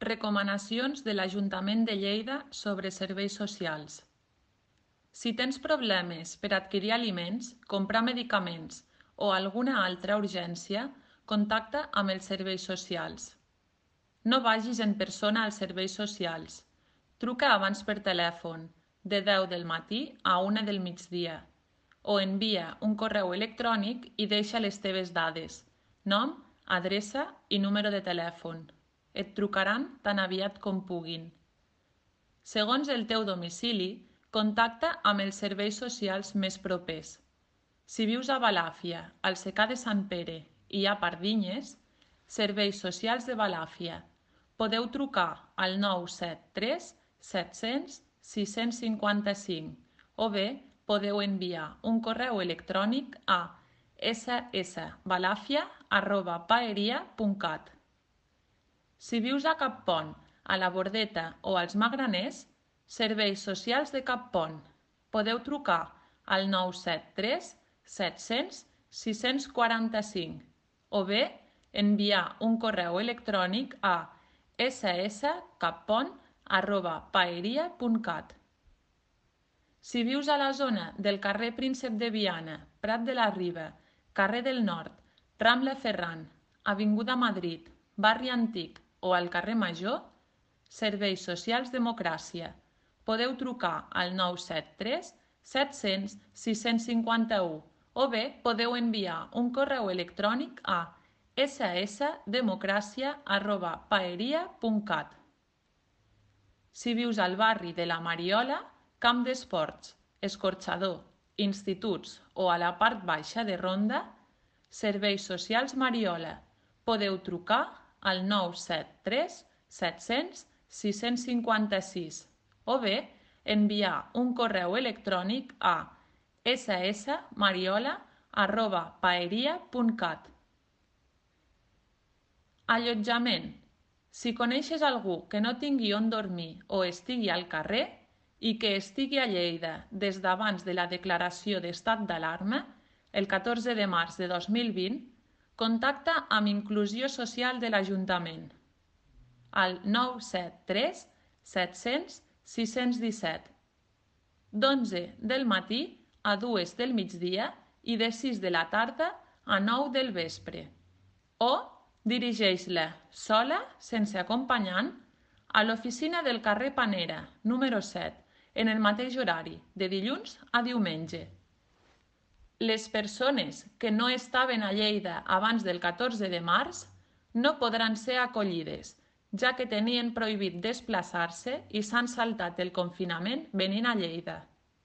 Recomanacions de l'Ajuntament de Lleida sobre serveis socials. Si tens problemes per adquirir aliments, comprar medicaments o alguna altra urgència, contacta amb els serveis socials. No vagis en persona als serveis socials. Truca abans per telèfon, de 10 del matí a 1 del migdia, o envia un correu electrònic i deixa les teves dades, nom, adreça i número de telèfon. Et trucaran tan aviat com puguin. Segons el teu domicili, contacta amb els serveis socials més propers. Si vius a Balàfia, al Secà de Sant Pere i a Pardinyes, Serveis Socials de Balàfia. Podeu trucar al 973 700 655 o bé podeu enviar un correu electrònic a ssbalafia@paeria.cat. Si vius a Cappont, a la Bordeta o als Magraners, Serveis Socials de Cappont. Podeu trucar al 973 700 645 o bé enviar un correu electrònic a sskappont@paeria.cat. Si vius a la zona del carrer Príncep de Viana, Prat de la Riba, carrer del Nord, Rambla Ferran, Avinguda Madrid, Barri Antic o al carrer Major, Serveis Socials Democràcia. Podeu trucar al 973 700 651 o bé podeu enviar un correu electrònic a ssdemocràcia@paeria.cat. Si vius al barri de la Mariola, Camp d'Esports, Escorxador, instituts o a la part baixa de Ronda, Serveis Socials Mariola. Podeu trucar al 973 700 656 o bé enviar un correu electrònic a ssmariola@paeria.cat. Allotjament. Si coneixes algú que no tingui on dormir o estigui al carrer i que estigui a Lleida des d'abans de la declaració d'estat d'alarma, el 14 de març de 2020, contacta amb Inclusió Social de l'Ajuntament al 973 700 617 d'11 del matí a 2 del migdia i de 6 de la tarda a 9 del vespre, o dirigeix-la sola, sense acompanyant, a l'oficina del carrer Panera, número 7, en el mateix horari, de dilluns a diumenge. Les persones que no estaven a Lleida abans del 14 de març no podran ser acollides, ja que tenien prohibit desplaçar-se i s'han saltat el confinament venint a Lleida.